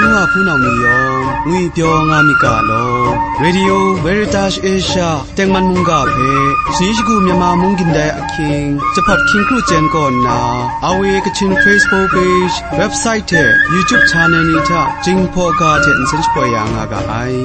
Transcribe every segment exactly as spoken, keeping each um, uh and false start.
N wa hpunau ni yawng, ngwipyaw nga myit ga law. Radio Veritas Asia tengman mungga hpe, sani shagu Myanmar mung gindai ahkying, Jahpat Hkyingkru Chen kaw nna, R V A Kachin Facebook page, website hte YouTube channel ni hta Jinghpaw ga hte nsen shapoi ya nga ga ai.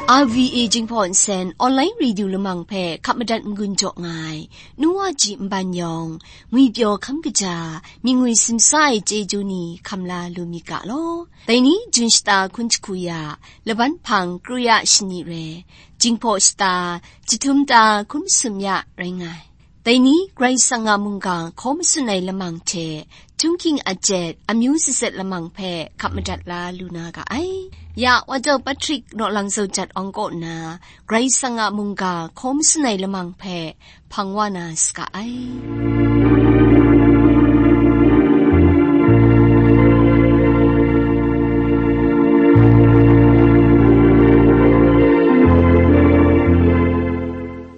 R V A Jinghpaw Nsen Online Radio Lamang hpe hkap madat n-gun jaw nga ai, nu wa ji nban yawng, ngwipyaw hkam kaja, myingwi simsa ai chyeju ni hkam la lu myit ga law. Dai ni, Jun shata hkun jahku ya, laban hpang kru ya shani re, Jinghpaw shata, jahtum ta hkun masum ya rai nga ai. Dai ni, Karai Kasang a mungga hkaw matsun ai lamang hte, Chungking a jet, amyu zatset lamang hpe hkap madat la lu na ga ai. Ya, Wajau Patrick Nawlang Zaujat Awng kaw nna, Karai Kasang a mungga hkaw matsun ai lamang hpe hpang wa na saga ai.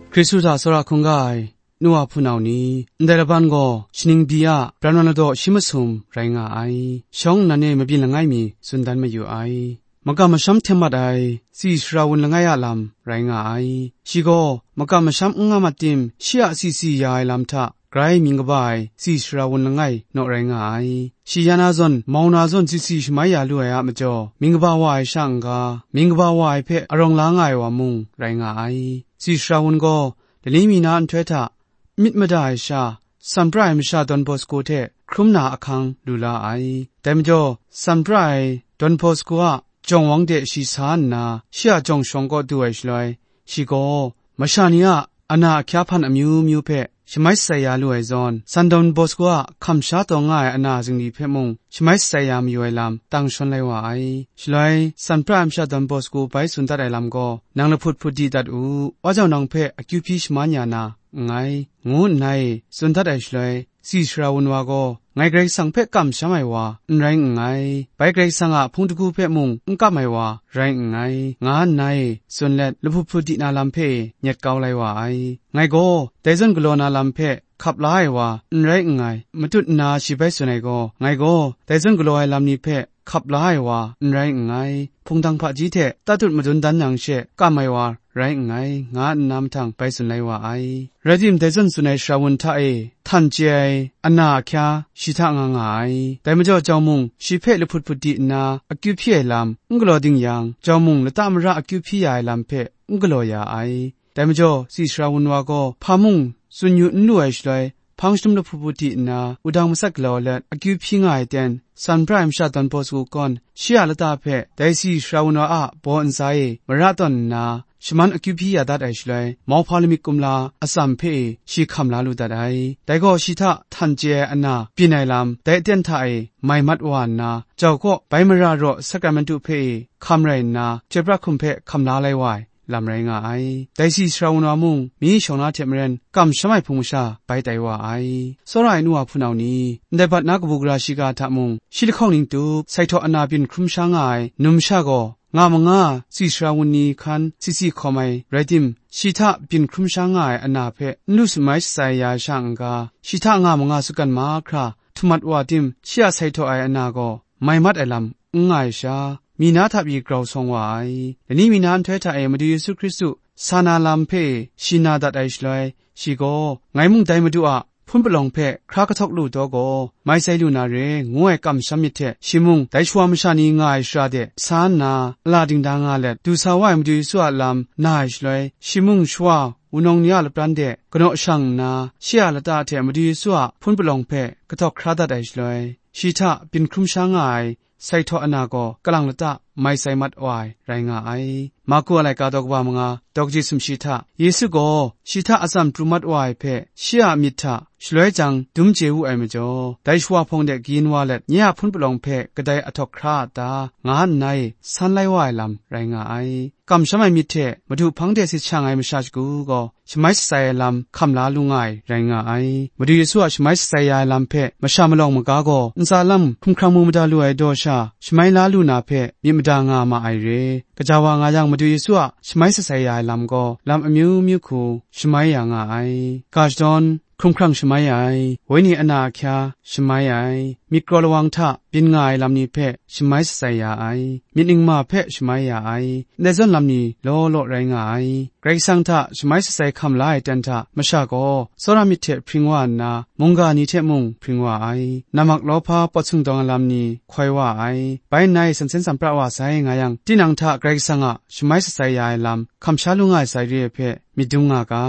Hkristu hta tsawra hkungga ai, nu wa hpunau ni, ndai laban gaw shaning byi a pran wan ladaw shi masum rai nga ai. Shawng nnan e mabyin langai mi tsun dan mayu ai. Makam masham hten mat ai tsi sara wun langai a lam rai nga ai. Shi gaw makam masham n nga mat tim, shi a tsi tsi ya ai lam hta grai mying kaba ai tsi sara wun langai naw rai nga ai. Shi ya na zawn, mau na zawn tsi tsi shamai ya lu ai a majaw, mying kaba wa ai sha n-ga, mying kaba wa ai hpe arawng la nga ai wa mung rai nga ai. Tsi sara wun gaw, lani mi na nhtoi hta myit mada ai sha, san pra ai masha Don Bosco hte hkrum na ahkang lu la ai. Dai majaw, san pra ai Don Bosco a jawng wang de shi sa nna, shi a jawng shawng kaw du ai shaloi, shi gaw masha ni a ana ahkya hpan amyu myu hpe shamai shatsai ya lu ai zawn, san Don Bosco a hkam sha taw nga ai ana zingri hpe mung shamai shatsai ya mayu ai lam tang shawn lai wa ai. Shaloi, san pra ai masha Don Bosco bai tsun dat ai lam gaw, nang lahput hput di dat u, wa jau nang hpe akyu hpyi shaman ya na nngai, ngu nna e tsun dat ai shaloi, tsi sara wun wa gaw, ngai Karai Kasang hpe kamsham ai wa n rai nngai, bai Karai Kasang a hpung dagu hpe mung n kam ai wa rai nngai, nga nna e tsun let, lahput hput di na lam hpe e nyet kau lai wa ai. Ngai gaw, dai zawn galaw na lam hpe hkap la ai wa n rai nngai, matut nna shi bai tsun ai gaw, ngai gaw, dai zawn galaw ai lam ni hpe hkap la ai wa n rai nngai, hpungdang hpaji hte tatut madun dan yang she kam ai wa rai nngai, nga nna mahtang bai tsun lai wa ai. Rai tim, dai zawn tsun ai sara wun hta e htan chye ai ana ahkya shi hta nga nga ai. Dai majaw jau mung, shi hpe lahput hput di nna akyu hpyi ai lam n galaw ding yang, jau mung lata mara akyu hpyi ya ai lam hpe n galaw ya ai. Dai majaw, tsi sara wun wa gaw hpa mung tsun yu n lu ai shaloi, hpang shanum lahput hput di nna, wudang matsat galaw let akyu hpyi nga ai ten, san pra ai masha Don Bosco gaw, shi a lata hpe dai tsi sara wun wa a baw ntsa e mara tawn nna, shaman akyu hpyi ya dat ai shaloi, mauhpa lamik kumla atsam hpe e shi hkam la lu dat ai. Dai gaw shi hta htan chye ai ana byin ai lam, dai aten hta e mai mat wa nna, jau kaw bai mara raw sakramentu hpe e hkam rai nna, chyoi pra hkum hpe hkam la lai wa ai lam rai nga ai. Dai tsi sara wun wa mung, myi shawng na hte maren, kamsham ai hpung masha bai tai wa ai. Tsawra ai nu wa hpunau ni, ndai bat na kabu gara shiga hta mung, shi lahkawng ning tup, sai htaw ana byin hkrum sha nga ai numsha gaw, nga manga tsi sara wun ni hkan tsi tsi hkawm ai rai tim, shi hta byin hkrum sha nga ai ana hpe n lu shamai shatsai ya ai sha n-ga, shi hta nga manga sutgan mahkra htum mat wa tim, shi a sai htaw ai ana gaw mai mat ai lam n nga ai sha, mi na hta pyi grau sawng wa ai. Lani mi na nhtoi hta e Madu Yesu Hkristu sa na lam hpe shi na dat ai shaloi, shi gaw, ngai mung dai Madu a hpun palawng hpe hkra kahtawk lu taw gaw, mai sai lu na re, ngu ai kamsham myit hte, shi mung dai shawa masha ni nga ai shara de sa nna, ala dingda nga let, du sa wa ai Madu Yesu a lam na ai shaloi, shi mung shawa wunawng ni a lapran de kanaw shang nna, shi a lata hte Madu Yesu a hpun palawng hpe kahtawk hkra dat ai shaloi, shi hta byin hkrum sha nga ai sai htaw ana gaw kalang lata mai sai mat wa ai rai nga ai. Marku a laika daw kaba manga, daw kaji sumshi hta, Yesu gaw shi hta atsam pru mat wa ai hpe shi a myit hta shaloi jang dum chye wu ai majaw, dai shawa hpawng de kayin wa let, nye a hpun palawng hpe kadai ahtawk hkra a ta, nga nna e san lai wa ai lam rai nga ai. Kamsham ai myit hte Madu hpang de sit shang ai masha shagu gaw, shamai shatsai ai lam hkam la lu nga ai rai nga ai. Madu Yesu a shamai shatsai ya ai lam hpe masha malawng maga gaw ntsa lam hkumhkrang mu mada lu ai daw sha, shamai la lu na hpe myit mada nga ma ai re. Gaja wa nga yang, Madu Yesu a shamai shatsai ya ai lam gaw, lam amyu myu hku shamai ya nga ai. Ga shadawn, hkrung hkrang shamai ai, wenyi ana ahkya shamai ai, myit kraw lawang hta byin nga ai lam ni hpe shamai shatsai ya ai, myit ningma hpe shamai ya ai, ndai zawn lam ni law law rai nga ai. Karai Kasang hta shamai shatsai hkam la ai ten hta masha gaw, tsawra myit hte hpring wa nna, mungga ni hte mung hpring wa ai. Namak lawhpa pawt sung dawng ai lam ni hkoi wa ai. Bai nna e sansen sanpra wa sai nga yang, tinang hta Karai Kasang a shamai shatsai ya ai lam hkam sha lu nga ai sai re ai hpe myit dum nga ga.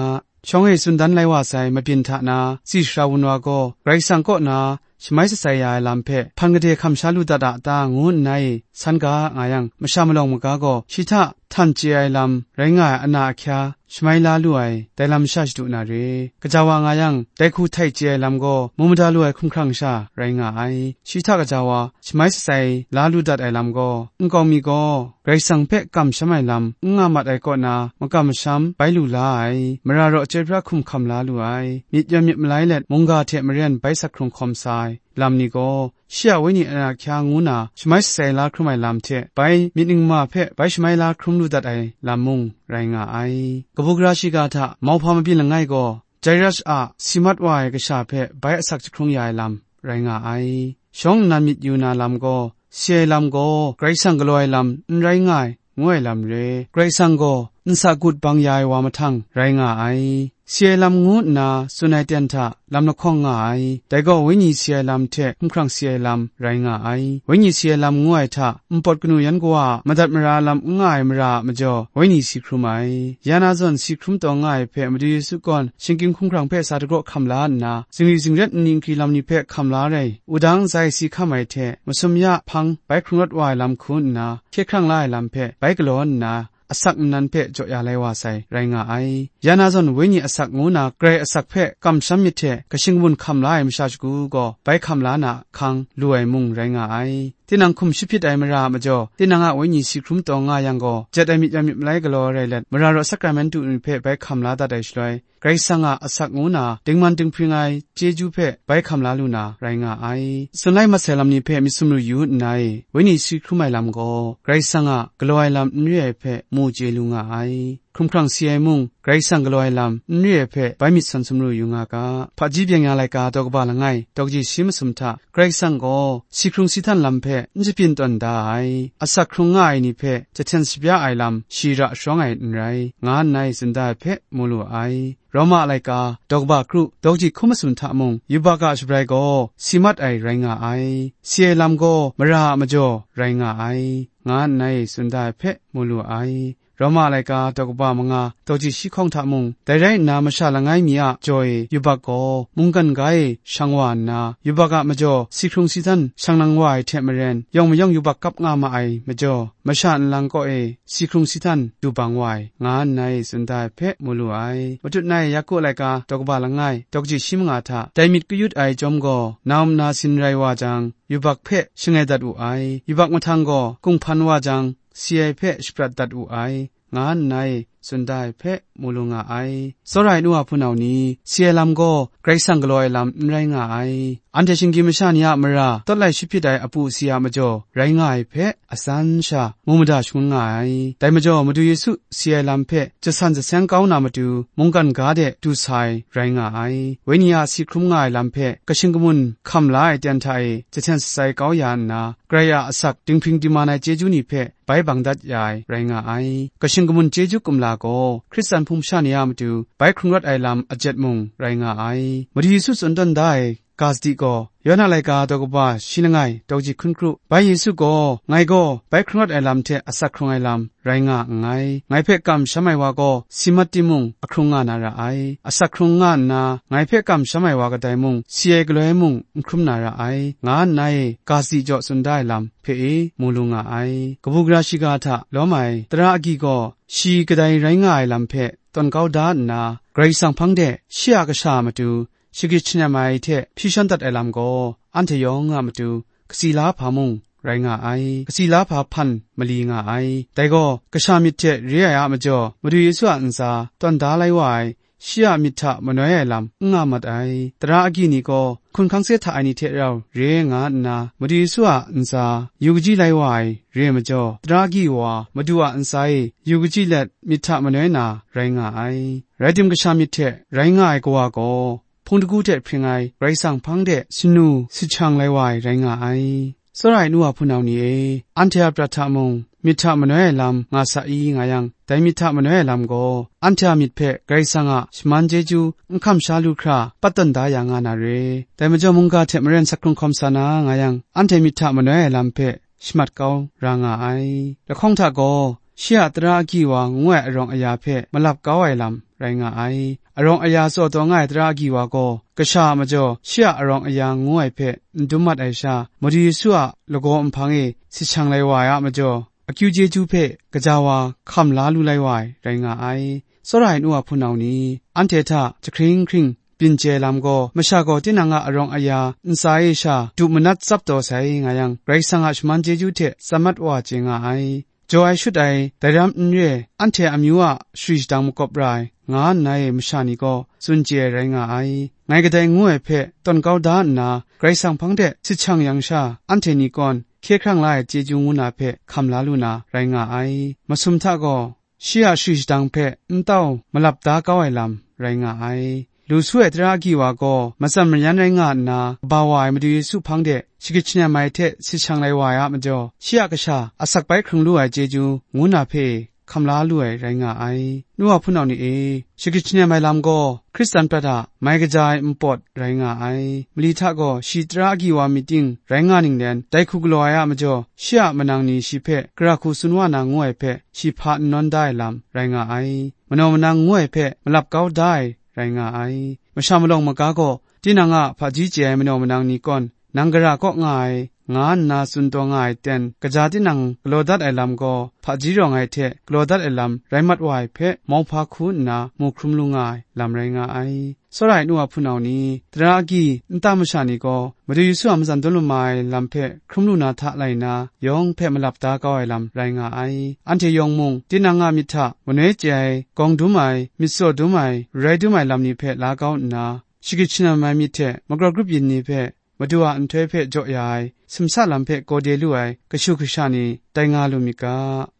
Shawng e tsun dan lai wa sai mabyin hta na, tsi sara wun wa gaw, Karai Kasang kaw na shamai shatsai ya ai lam hpe hpan gade hkam sha lu dat a ta, ngu nna e san ga nga yang, masha malawng maga gaw shi hta htan chye ai lam rai nga ai ana ahkya shamai la lu ai, dai lam sha shadu na re. Gaja wa nga yang, dai hku htai chye ai lam gaw mu mada lu ai hkumhkrang sha rai nga ai. Shi hta gaja wa shamai shatsai la lu dat ai lam gaw, nkau mi gaw Karai Kasang hpe kamsham ai lam n nga mat ai kaw na, makam masham bai lu la ai, mara raw chyoi pra hkum hkam la lu ai, myit yawn myit malai let mungga hte maren bai sak hkrung hkawm sa ai lam ni gaw, shi a wenyi ana ahkya ngu na shamai shatsai la hkrum ai lam hte bai myit ningma hpe bai shamai la hkrum lu dat ai lam mung rai nga ai. Kabu gara shiga hta mauhpa mabyin langai gaw, Jairus a si mat wa ai kasha hpe bai asak jahkrung ya ai lam rai nga ai. Shawng nnan myit yu na lam gaw, si ai lam gaw Karai Kasang galaw ai lam n rai nga ai, ngu ai lam re. Karai Kasang gaw nsa gut bang ya ai wa mahtang rai nga ai. Si ai lam ngu nna tsun ai ten hta lam lahkawng nga ai. Dai gaw wenyi si ai lam hte hkumhkrang si ai lam rai nga ai. Wenyi si ai lam ngu ai hta, npawt kanu yan kawa a madat mara lam n nga ai mara a majaw, wenyi si hkrum ai. Ya na zawn si hkrum taw nga ai hpe Madu Yesu gaw shinggyim hkumhkrang hpe sa dagraw hkam la nna, zingri zingret nni nkri lam ni hpe hkam la rai, wudang ntsa e si hkam ai hte, masum ya hpang bai hkrung rawt wa ai lam hku nna, hkye hkrang la ai lam hpe bai galaw nna, asak nnan hpe jaw ya lai wa sai, rai nga ai. Ya na zawn wenyi asak ngu na, Karai asak hpe kamsham myit hte, kashing kamun hkam la ai masha shagu gaw, bai hkam la na hkang lu ai mung rai nga ai. Tinang hkum shapyit ai mara a majaw, tinang a wenyi si hkrum taw nga yang gaw, jet ai myit yawn myit malai galaw rai let, mara raw sakramentu ni hpe bai hkam la dat ai shaloi, Karai Kasang a asak ngu na, dingman dinghpring ai chyeju hpe bai hkam la lu na, rai nga ai. Tsun lai mat sai lam ni hpe myit sumru yu nna e, wenyi si hkrum ai lam gaw, Karai Kasang a galaw ai lam n re ai hpe mu chye lu nga ai. Hkumhkrang si ai mung, Karai Kasang galaw ai lam n re ai hpe bai myit sawn sumru yu nga ga. Hpaji byeng ya laika daw kaba langai, daw kaji shi masum hta, Karai Kasang gaw si hkrung si htan lam hpe n shabyin tawn da ai, asak hkrung nga ai ni hpe jahten shabya ai lam shi ra sharawng ai n rai, nga nna e tsun da ai hpe mu lu ai. Roma laika, daw kaba kru, daw kaji hkun masum hta mung, yubak a shabrai gaw si mat ai rai nga ai, si ai lam gaw mara a majaw rai nga ai, nga nna e tsun da ai hpe mu lu ai. Roma laika daw kaba manga, daw kaji shi hkawng hta mung, dai rai nna masha langai mi a jaw e yubak gaw mungkan ga e shang wa nna, yubak a majaw si hkrung si htan shang nang wa ai hte maren, yawng mayawng yubak kap nga ma ai majaw, masha nlang kaw e si hkrung si htan du bang wa ai, nga nna e tsun da ai hpe mu lu ai. Matut na e Yaku laika daw kaba langai, daw kaji shi manga hta, dai myit kayut ai chyawm gaw, na um na sin rai wa jang, yubak hpe shangai dat wu ai. Yubak mahtang gaw, kunghpan wa jang, si ai hpe shaprat dat wu ai, nga nna e tsun da ai hpe mu lu nga ai. Tsawra ai nu wa hpunau ni, si ai lam gaw Karai Kasang galaw ai lam n rai nga ai. Anhte shinggyim masha ni a mara tawt lai shapyit ai apu si a majaw rai nga ai hpe, atsan sha mu mada shangun nga ai. Dai majaw, Madu Yesu si ai lam hpe jasan jaseng kau na matu, mungkan ga de du sa ai rai nga ai. Wenyi a si hkrum nga ai lam hpe kashing kamun hkam la ai ten hta e jahten shatsai kau ya nna, Karai a asak dinghpring diman ai chyeju ni hpe bai bang dat ya ai rai nga ai. Kashing kamun chyeju kumla gaw Hkristan hpung masha ni a matu bai hkrung rawt ai lam ajet mung rai nga ai. Madu Yesu tsun tawn da ai ga sadi gaw, Yawhan a laika daw kaba shi langai, daw kaji hkun kru, bai Yesu gaw, ngai gaw bai hkrung rawt ai lam hte asak hkrung ai lam rai nga nngai. Ngai hpe kamsham ai wa gaw si mat timung, ahkrung nga na ra ai. Asak hkrung nga nna, ngai hpe kamsham ai wa kadai mung, si ai galoi mung n hkrum na ra ai, nga nna e ga sadi jaw tsun da ai lam hpe e mu lu nga ai. Kabu gara shiga hta lawm ai tara agyi gaw, shi kadai rai nga ai lam hpe tawn kau da nna, Karai Kasang hpang de shi a kasha a matu shagrit shanem ai hte hpyi shawn dat ai lam gaw, anhte yawng a matu kasi la hpa mung rai nga ai, kasi la hpa hpan mali nga ai. Dai gaw, kasha myit hte re ai a majaw, Madu Yesu a ntsa tawn da lai wa ai, shi a myit hta manoi ai lam n nga mat ai. Tara agyi ni gaw hkun hkang se hta ai ni hte rau re nga nna, Madu Yesu a ntsa yu kaji lai wa ai re ai majaw, tara agyi wa Madu a ntsa e yu kaji let myit hta manoi na rai nga ai. Rai tim, kasha myit hte rai nga ai kawa gaw, hpung dagu hte hpring ai Karai Kasang hpang de sanu sahkyang lai wa ai rai nga ai. Tsawra ai nu wa hpunau ni e, anhte a prat hta mung myit hta manoi ai lam nga sa i nga yang, dai myit hta manoi ai lam gaw, anhte a myit hpe Karai Kasang a shaman chyeju n hkam sha lu hkra, pat tawn da ya nga na re. Dai majaw, mungga hte maren sak hkrung hkawm sa na nga yang, anhte myit hta manoi ai lam hpe shamat kau ra nga ai. Lahkawng hta gaw, shi a tara agyi wa ngu ai arawng aya hpe malap kau ai lam rai nga ai. Arawng aya tsaw taw nga ai tara agyi wa gaw, kasha a majaw shi a arawng aya ngu ai hpe n dum mat ai sha, Madu Yesu a lagaw nhpang e sahkyang lai wa ai a majaw, akyu chyeju hpe gaja wa hkam la lu lai wa ai rai nga ai. Tsawra ai nu wa hpunau ni, anhte hta jahkring hkring byin chye ai lam gaw, masha gaw tinang a arawng aya ntsa e sha du manat tsap taw sai nga yang, Karai Kasang a shaman chyeju hte tsap mat wa chye nga ai. Jaw ai shut ai, dai ram n re, anhte amyu a shari shadang makawp ra ai, nga nna e masha ni gaw tsun chye ai rai nga ai. Ngai kadai ngu ai hpe tawn kau da nna, Karai Kasang hpang de sahkyang yang sha, anhte ni kawn hkye hkrang la ai chyeju ngu na hpe hkam la lu na rai nga ai. Masum hta gaw, shi a shari shadang hpe n tau malap da kau ai lam rai nga ai. Lu su ai tara agyi wa gaw matsan mayan rai nga nna, kaba wa ai Madu Yesu hpang de shagrit shanem ai hte sahkyang lai wa ai a majaw, shi a kasha asak bai hkrung lu ai chyeju ngu na hpe hkam la lu ai rai nga ai. Nu wa hpunau ni e, shagrit shanem ai lam gaw Hkristan prat a mai kaja ai npawt rai nga ai. Mali hta gaw shi tara agyi wa myit ting rai nga ning len, dai hku galaw ai a majaw, shi a manang ni shi hpe gara hku tsun wa na ngu ai hpe, shi hpa n nawn da ai lam rai nga ai. Manaw manang ngu ai hpe malap kau da ai rai nga ai. Masha malawng maga gaw, tinang a hpaji chye ai manaw manang ni kawn, nang gara kaw nga ai, nga nna tsun taw nga ai ten, kaja tinang galaw dat ai lam gaw, hpaji rawng ai hte galaw dat ai lam rai mat wa ai hpe, mauhpa hku nna mu hkrum lu nga ai lam rai nga ai. Tsawra ai nu wa hpunau ni, tara agyi nta masha ni gaw, Madu Yesu a matsan dum lama ai lam hpe hkrum lu na hta lai nna, yawng hpe malap da kau ai lam rai nga ai. Anhte yawng mung, tinang a myit hta manoi chye ai, gawng dum ai, myit tsaw dum ai, rai dum ai lam ni hpe la kau nna, shagrit shanem ai myit hte makrawp grup yin ni hpe, Madu a nhtoi hpe jaw ya ai, simsa lam hpe gawde lu ai kashu kasha ni tai nga lu myit ga,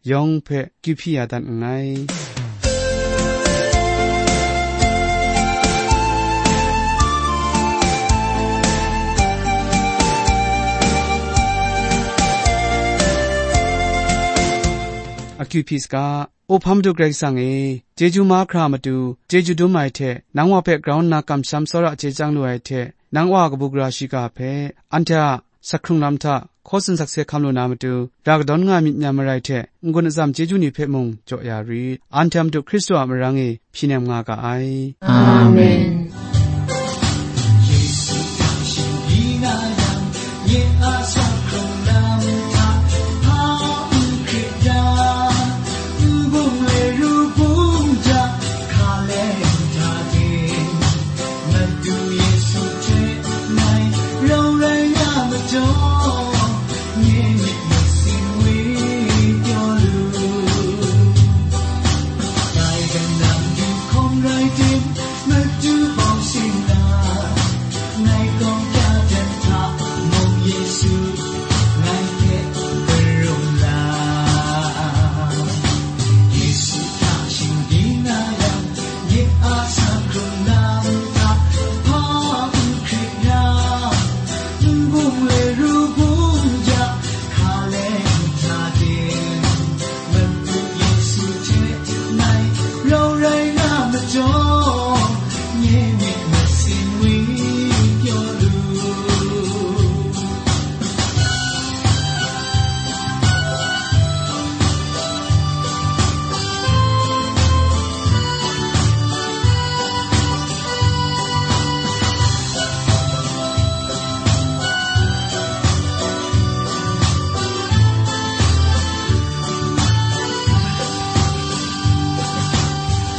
yawng hpe kyu hpyi ya dat nngai. Akyu hpyi saga, O hpa Madu Karai Kasang e, chyeju mahkra matu, chyeju dum ai hte, nang wa hpe grau nna kamsham tsawra chye chyang lu ai hte, nang wa kabu gara shiga hpe, anhte a sak hkrung lam hta, hkaw tsun sakse hkam lu na matu, ra kadawn nga myit n-yan marai hte, n-gun atsam chyeju ni hpe mung jaw ya rit. Anhte a Madu Hkristu a marang e hpyi nem nga ga ai. Amen.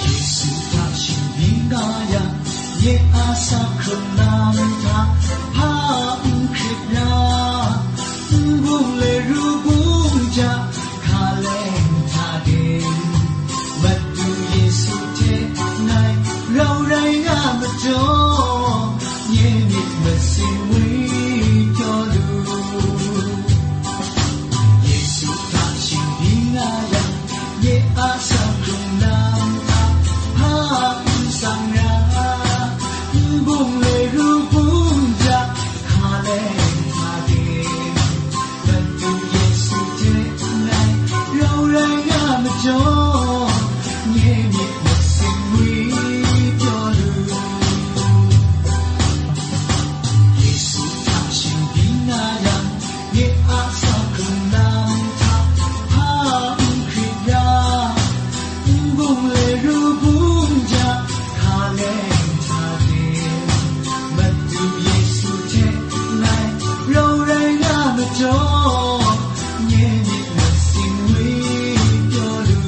Yesu hta shinggyim nga yang, nye a sa hkrung lam hta hpa n hkrit ra, n bung le ru bung ja, hkaleng hta de, Madu Yesu hte ngai rau Ru bum ja, hka leng hta de, Madu Yesu hte ngai rau rai nga majaw, nye myit masin ngwi pyaw lu.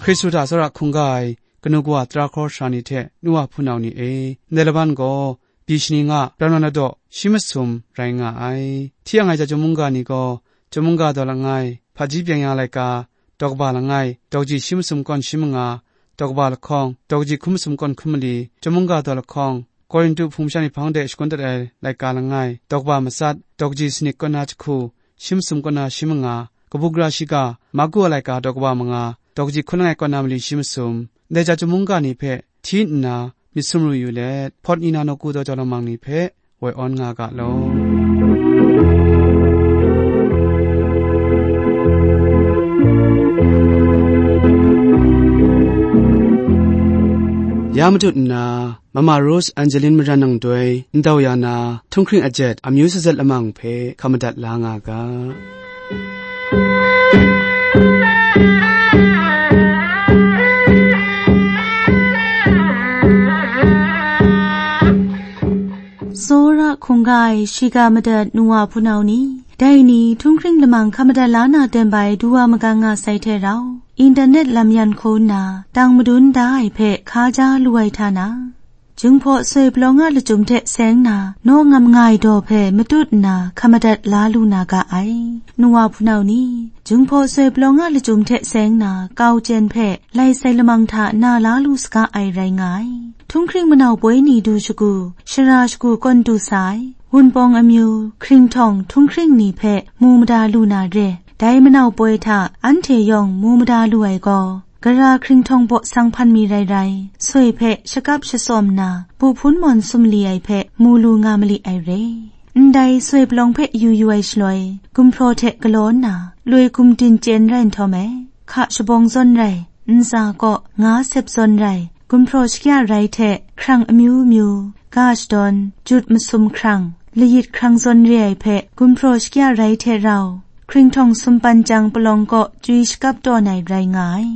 Hkristu hta tsawra hkungga ai kanu kawa tara hkawra sara ni hte nu wa hpunau ni e, ndai laban gaw, byi shani nga, rau na na daw, shi masum rai nga ai. Hti yang ai ja chyum mungga ni gaw, chyum mungga daw langai, hpaji byeng ya laika, daw kaba langai, daw kaji shi masum kawn shi manga, daw kaba lahkawng, daw kaji hkum masum kawn hkum mali, chyum mungga daw lahkawng, Korintu hpung masha ni hpang de shakun dat ai laika langai, daw kaba matsat, daw kaji sanit kawn na jahku, shi masum kawn na shi manga, kabu gara shiga, Marku a laika daw kaba manga, daw kaji hkun langai kawn na mali shi masum, ndai ja chyum mungga ni hpe hti nna myit sumru yu let, Hpawt ni na nawku daw jau lamang ni hpe woi awn nga ga law. Ya matut nna, Mama Rose Angeline Maran nang doi ndau ya na, htunghkring ajet amyu sazat lamang hpe hkam madat la nga ga. Tsawra hkungga ai shiga madat nu wa hpunau ni, dai ni htunghkring lamang hkam madat la na ten bai du wa magang nga sai hte rau, internet lam yan hku nna tang madun da ai hpe hka ja lu ai hta na, Jinghpaw soi palawng a lachyum hte seng na, naw ngam nga ai daw hpe matut nna hkam madat la lu na ga ai. Nu wa hpunau ni, Jinghpaw soi palawng a lachyum hte seng na, kau chyen hpe lai sai lamang hta na la lu saga ai rai nga ai. Htunghkring manau poi ni du shagu, shara shagu kawn du sa ai, Wunpawng amyu, hkringhtawng, htunghkring ni hpe mu mada lu na re. Dai manau poi hta anhte yawng mu mada lu ai gaw, gara hkringhtawng baw sang hpan mi rai rai, soi hpe shakap shasawm nna, bu hpun mawn sumli ai hpe mu lu nga mali ai re. Ndai soi palawng hpe yu yu ai shaloi, gumhpraw hte galaw nna, loi gumdin chyen rai nhtawm ai, hka shabawng zawn rai, ntsa kaw nga sep zawn rai, gumhpraw shakya rai hte hkrang amyu myu, ga shadawn, jut masum hkrang, layit hkrang zawn re ai hpe gumhpraw shakya rai hte rau, hkringhtawng sumpan chyang palawng kaw chyui shakap tawn ai rai nga ai.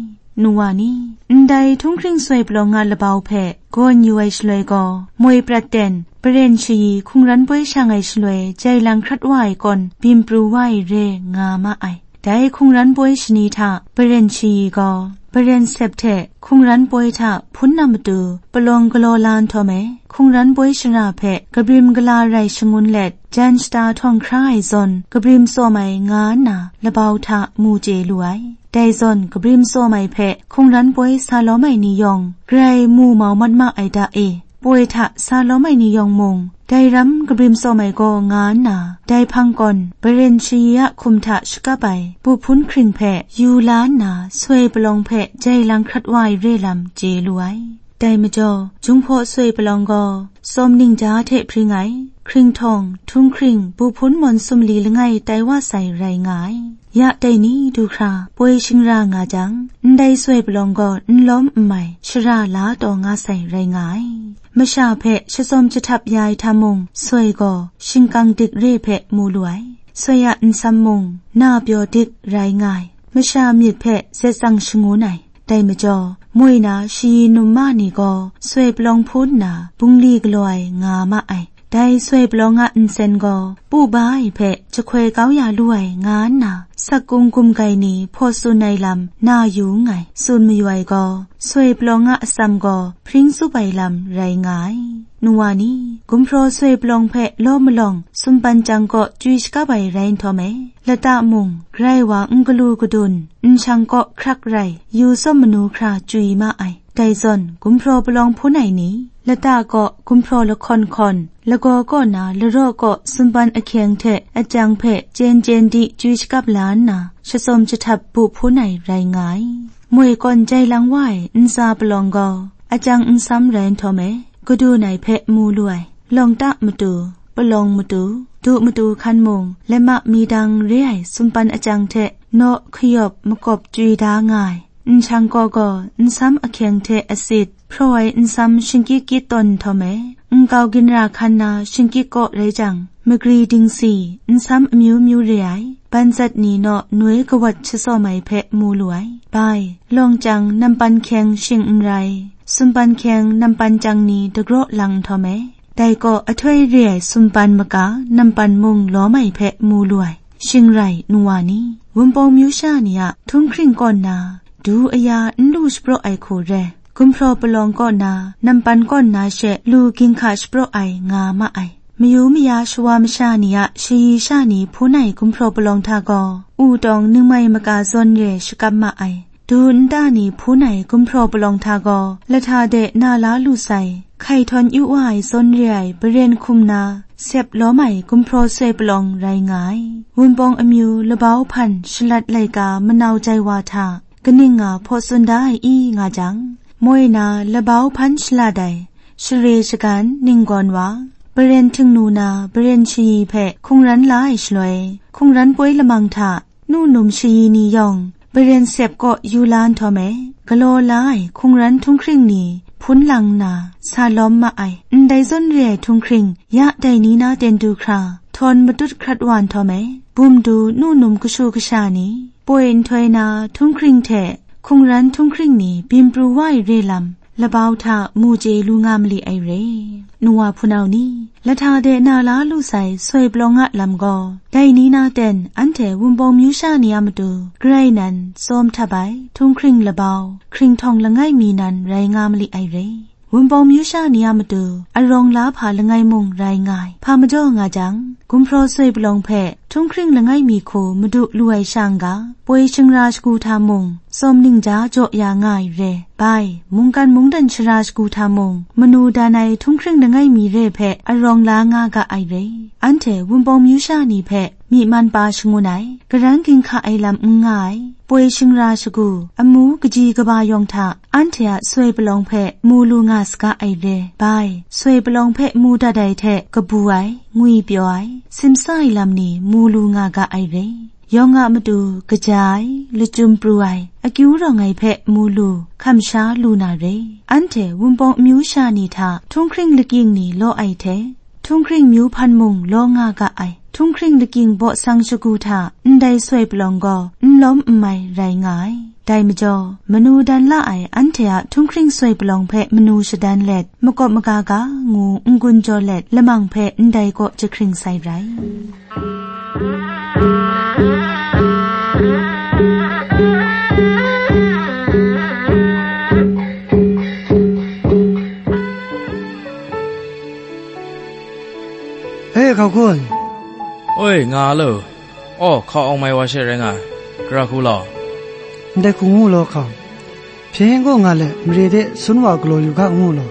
Nu wa ni, ndai htunghkring soi palawng a labau hpe gawn yu ai shaloi gaw, moi prat ten, paren shayi hkungran poi shang ai shaloi jai lang hkrat wa ai kawn byin pru wa ai re nga ma ai. Dai hkungran poi shani hta paren shayi gaw, paren sep hte hkungran poi hta hpun na matu palawng galaw la nhtawm e, hkungran poi shara hpe kabrim gala rai shangun let, jan shata htawng hkra ai zawn kabrim tsawm ai nga nna labau hta mu chye lu ai. Dai zawn kabrim tsawm ai hpe hkungran poi sa lawm ai ni yawng, grai mu mau mat ma ai da e. Poi hta sa lawm ai ni yawng mung, dai ram kabrim tsawm ai gaw nga nna, dai hpang kawn, paren shayi a hkum hta shakap ai, bu hpun hkring hpe yu la nna, soi palawng hpe jai lang hkrat wa ai re lam chye lu ai. Dai majaw, Jinghpaw soi palawng gaw, tsawm ningja hte hpring ai, hkringhtawng, htunghkring, bu hpun mawn sumli langai tai wa sai rai nga ai. Ya dai ni du hkra, poi shingra nga jang, ndai soi palawng gaw n lawm n mai, shara la taw nga sai rai nga ai. Masha hpe shatsawm jahtap ya ai hta mung, soi gaw shingkang dik re hpe mu lu ai. Soi a nsam mung, na pyaw dik rai nga ai. Masha myit hpe zet tsang shangun ai. Dai majaw, moi na shayi num ma ni gaw soi palawng hpun nna bungli galaw ai nga ma ai. Dai soi palawng a nsen gaw, pu ba ai hpe jahkoi kau ya lu ai nga nna, sak kung gumgai ni hpaw tsun ai lam na yu nngai, tsun mayu ai gaw, soi palawng a atsam gaw hpring tsup ai lam rai nga ai. Nu wa ni, gumhpraw soi palawng hpe law malawng sumpan chyang kaw chyui shakap ai rai nhtawm e, lata mung, grai wa n galu gadun, nshang kaw hkrak rai, yu tsawm manu hkra chyui ma ai. Dai zawn, gumhpraw palawng hpun ai ni, lata kaw gumhpraw lahkawn hkawn, lagaw kaw na laraw kaw sumpan ahkyeng hte ajang hpe chyen chyen di chyui shakap la nna, shatsawm jahtap bu hpun ai rai nga ai. Moi kawn jai lang wa ai ntsa palawng gaw, ajang nsam rai nhtawm e, gadun ai hpe mu lu ai. Lawng ta matu, palawng matu, du matu hkan mung, lama mi dang re ai sumpan ajang hte naw hkayawp makawp chyui da nga ai. Nshang kaw gaw nsam ahkyeng hte asit, hpraw ai nsam shingkyit kyit tawn nhtawm e, nkau ginra hkan na shingkyit kaw rai jang, magri dingsi, nsam amyu myu re ai, banzat ni naw noi kawat shasawm ai hpe mu lu ai. Bai, lawng chyang nampan hkyeng shing n rai, sumpan hkyeng nampan chyang ni dagraw lang nhtawm e, dai kaw ahtoi re ai sumpan maka nampan mung lawm ai hpe mu lu ai. Shing rai nu wa ni, Wunpawng myu sha ni a htunghkring kaw nna, du aya n lu shapraw ai hku re, gumhpraw palawng kaw na, nampan kaw na she lu ginhka shapraw ai nga ma ai. Mayu maya shawa masha ni a shayi sha ni hpun ai gumhpraw palawng hta gaw, u tawng ningmai maka zawn re shakap ma ai. Du nta ni hpun ai gumhpraw palawng hta gaw, lahta de na la lu sai, hkai htawn yu wa ai zawn re ai baren hkum na, sep lawm ai gumhpraw soi palawng rai nga ai. Wunpawng amyu labau hpan shalat laika manau jai wa hta, kaning nga hpaw tsun da ai i nga jang, moi na labau hpan shalat ai, share shagan ninggawn wa, baren htingnu na baren shayi hpe hkungran la ai shaloi, hkungran poi lamang hta, nu num shayi ni yawng, baren sep kaw yu la nhtawm e, galaw la ai hkungran htunghkring ni hpun lang nna, sa lawm ma ai. Ndai zawn re ai htunghkring, ya dai ni na ten du hkra, htawn matut hkrat wa nhtawm e, bum du nu num kashu kasha ni, poi nhtoi na htunghkring hte hkungran htunghkring ni byin pru wa ai re lam, labau hta mu chye lu nga mali ai re. Nu wa hpunau ni, lahta de na la lu sai soi palawng a lam gaw, dai ni na ten anhte Wunpawng myu sha ni a matu, grai nan tsawm htap ai, htunghkring labau, hkringhtawng langai mi nan rai nga mali ai re. Wunpawng myu sha ni a matu, arawng la hpa langai mung rai nga ai. Hpa majaw nga jang, gumhpraw soi palawng hpe, htunghkring langai mi hku madu lu ai sha n ga, poi shingra shagu hta mung, tsawm ningja jaw ya nga ai re. Bai, mungkan mungdan shara shagu hta mung, manu dan ai htunghkring langai mi re hpe arawng la nga ga ai re. Anhte Wunpawng myu sha ni hpe myi man pa shangun ai, karan ginhka ai lam n nga ai, poi shingra shagu, amu kaji kaba yawng hta, anhte a soi palawng hpe mu lu nga saga ai re. Bai, soi palawng hpe mu dat ai hte kabu ai, ngwi pyaw ai, simsa ai lam ni mu lu nga ga ai re. Yawng a matu kaja ai, lachyum pru ai, akyu rawng ai hpe mu lu, hkam sha lu na re. Anhte Wunpawng amyu sha ni hta htunghkring lakying ni law ai hte, htunghkring myu hpan mung law nga ga ai, htunghkring lakying baw sang shagu hta ndai soi palawng gaw n lawm n mai rai nga ai. Dai majaw, manu dan la ai anhte a htunghkring soi palawng hpe manu shadan let, makawp maga ga ngu n-gun jaw let, lamang hpe ndai kaw jahkring sai rai. E, hkau hku ai. Oi, nga lo. Aw, hkau awng mai wa she rai nga ai. Gara hku law. Ndai hku ngu law hkau. Hpyen gaw nga let, mare de sun wa galaw yu ga ngu law.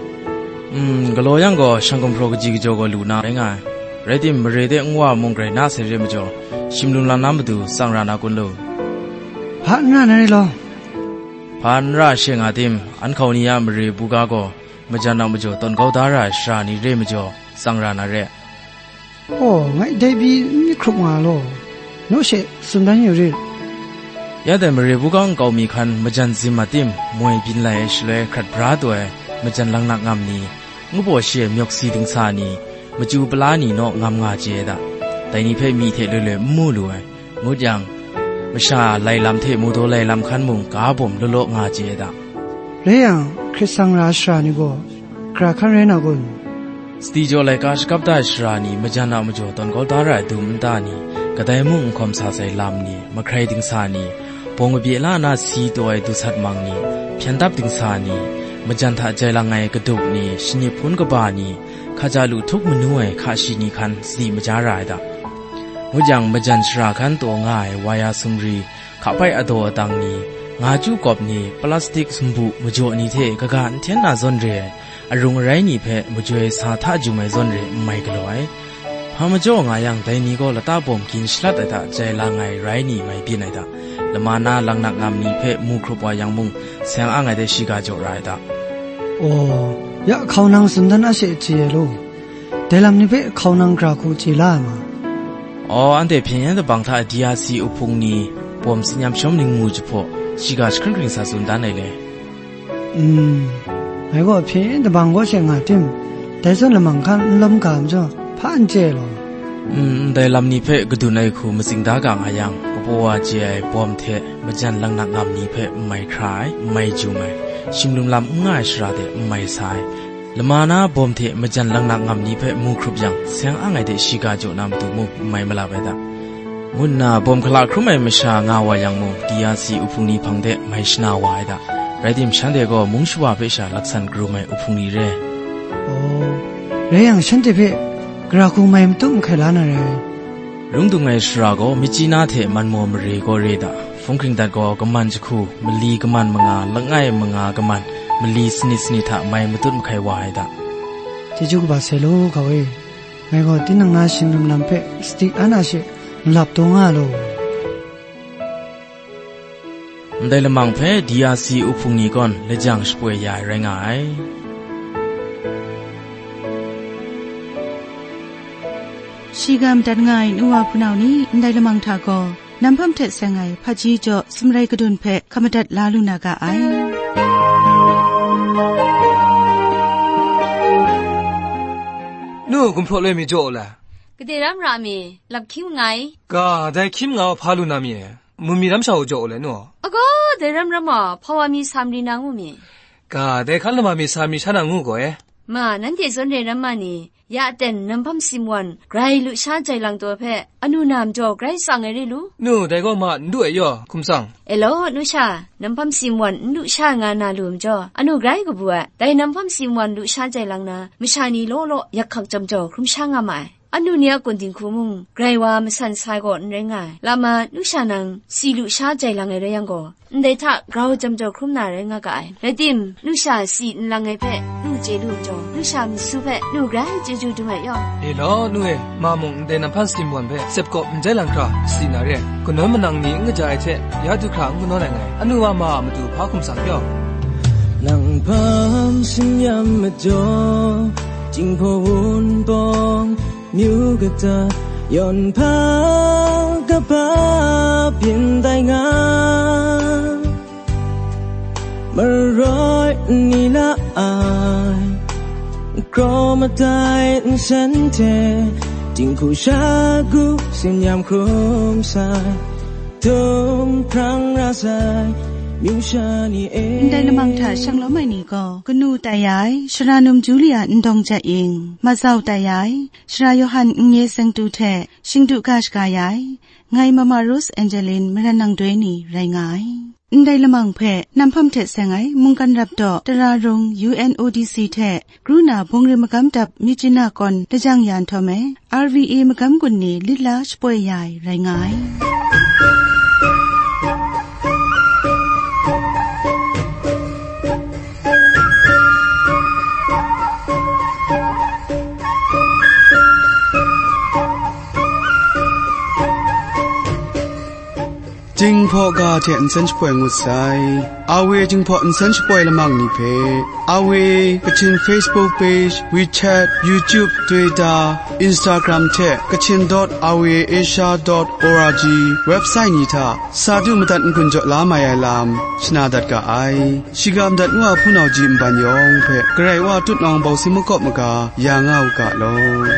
Mm, galaw yang gaw, shang gumhpraw kaji kajaw gaw lu na rai nga ai. Rai tim, mare de nwa mung grai na sai re majaw, shim lung lam na matu tsang ra na kun lu? Hpa n ra na re law. Hpa n ra she nga tim, an hkau ni a mare buga gaw, majan a majaw tawn kau da ra ai shara ni re majaw, tsang ra na re. Aw, ngai dai pyi n myit hkrup nga law, naw she tsun dan yu rit. Ya dai mare buga nkau mi hkan majan zim a tim, moi byin lai ai shaloi hkrat bra taw ai majan laknak ngam ni, ngu baw shi ai myawk si dingsa ni, machyu pala ni naw ngam nga chye ai da. Dai ni hpe myi hte loi loi n mu lu ai. Ngut yang, masha lai lam hte mudaw lai lam hkan mung ga bawm law law nga chye ai da. Rai yang, hkrit sang ra ai shara ni gaw, gara hkan rai na kun? Sadi jaw laika shakap da ai shara ni majan a majaw tawn kau da ra ai dum nta ni, kadai mung n hkawm sa sai lam ni, mahkrai dingsa ni, bawng kabye la na si taw ai dusat mang ni, hpyen dap dingsa ni, majan hta jai lang ai kadup ni, shanip hpun kaba ni, hkaja lu htup manu ai hka shi ni hkan sadi maja ra ai da. Ngut yang, majan shara hkan taw nga ai waya sumri, hkapai adaw adang ni, nga chyu kawp ni, plastik sumbu majaw ni hte kaga n hten na zawn re ai, arung arai ni hpe majoi sa hta jum ai zawn re n mai galaw ai. Hpa majaw nga yang, dai ni gaw lata bawm gin shalat ai hta jai lang ai rai ni mai byin ai da. Lama na laknak ngam ni hpe mu hkrup wa yang mung, seng ang ai de shiga jaw ra ai da. Aw, ya hkau nang tsun dan a she chye ai law. Dai lam ni hpe hkau nang gara hku chye la ai ma? Aw, anhte hpyen yen dabang hta D R C uhpung ni, bawm tsin yam shawm ningmu jahpaw, shiga jahkring kring sa tsun dan ai le. Mm, ngai gaw hpyen yen dabang kaw she nga tim, dai zawn lamang hkan n lawm ga majaw, hpa n chye ai law. N-, ndai lam ni hpe kadun ai hku matsing da ga nga yang, kabaw wa chye ai bawm hte majan laknak ngam ni hpe n mai hkra ai, n mai jum ai, shinglim lam n nga ai shara de n mai sa ai, lama na bawm hte majan laknak ngam ni hpe mu hkrup yang, seng ang ai de shiga jaw na matu mung n mai malap ai da, ngu nna bawm hkala hkrum ai masha nga wa yang mung, D R C uhpung ni hpang de mai shana wa ai da. Rai tim, shanhte gaw mung shawa hpe sha laksan karum ai uhpung ni re. Aw, rai yang, shanhte hpe gara hku mai matut mahkai la na rai. Rung dung ai shara gaw Myitkyina hte Manmaw mare gaw re da, hpung hkring dat gaw kaman jahku, mali kaman manga, langai manga kaman, mali sanit sanit hta mai matut mahkai wa ai da. Chyeju kaba sai law, ga e. Ngai gaw tinang na shinglim lam hpe sadi an a she nlap taw nga law. Ndai lamang hpe D R C uhpung ni gawn lajang shapoi ya ai rai nga ai. Shiga madat nga ai nu wa hpunau ni ndai lamang hta gaw, Namhpam hte seng ai hpaji jaw sumrai kadun hpe hkap madat la lu na ga ai. Nu, gumhpraw loi mi jaw u le? Gade ram ra mi, lap hkying nngai. Ga, dai hkying nga hpa lu na mi e? Mu mi ram sha u jaw u le, nu? Agaw, dai ram ram a, hpa wa mi sa mari na ngu mi? Ga, dai hkan lama mi sa mari sha na ngu gaw e? Ma, nanhte zawn re ram ma ni, ya aten Namhpam Simwan grai lusha jai lang taw hpe, anu na majaw grai tsang ai re lu? Nu, dai gaw ma n du ai yaw, hkum tsang. E law, nu sha, Namhpam Simwan n lusha nga na lu majaw, anu grai kabu ai. Dai Namhpam Simwan lusha jai lang na, masha ni law law yak hkak jam jaw hkrum sha nga ma ai. Anu ni a kun dinghku mung, grai wa masan sai gaw n rai nga ai. Lama, nu sha nang, si lusha jai lang ai rai yang gaw, ndai hta grau jam jaw hkrum na rai nga ga ai. Rai tim, nu sha si nlang ai hpe nu chye lu majaw, nu sha masu hpe nu grai chyeju dum ai yaw. E law, nu e, ma mung ndai Namhpam Simwan hpe sep kawp n jai lang hkra si na re ai. Kanawn manang ni n kaja ai hte, ya du hkra n kanawn ai ngai. Anu wa ma a matu hpa hkum tsang yaw. Namhpam Simwan majaw, Jinghpaw Wunpawng, myu kata, yawn hpa kaba byin tai nga, maroi n ni la ai, kraw madai nsen hte, dinghku shagu tsin yam hkrum sai, htung hprang ra sai, myu sha ni e. Ndai lamang hta shanglawm ai ni gaw, kanu tai ya ai, Sara Num Julia Ndawng Jat Ying, mazau tai ya ai, Sara Yawhan Nnye Sengtu hte shingdu ga shaga ya ai, ngai Mama Rose Angeline Maran Nang Doi ni rai nga ai. Ndai lamang hpe Namhpam hte seng ai mungkan rap daw Tara Rung U N O D C hte Kru na Bungri Magam Dap Myitkyina kawn lajang ya nhtawm e, R V A Magam Gun ni lit la shapoi ya ai rai nga ai. Jinghpaw ga hte nsen shapoi ngut sai. A W Jinghpaw nsen shapoi lamang ni hpe, A W Kachin Facebook page, WeChat, YouTube, Twitter, Instagram hte Kachin dot R V A Asia dot O R G website ni hta sa du madat n-gun jaw la mai ai lam shana dat ga ai. Shiga madat nu a hpunau ji nban yawng hpe Karai Wa tutnawng bawng si makawp maga ya nga u ga law.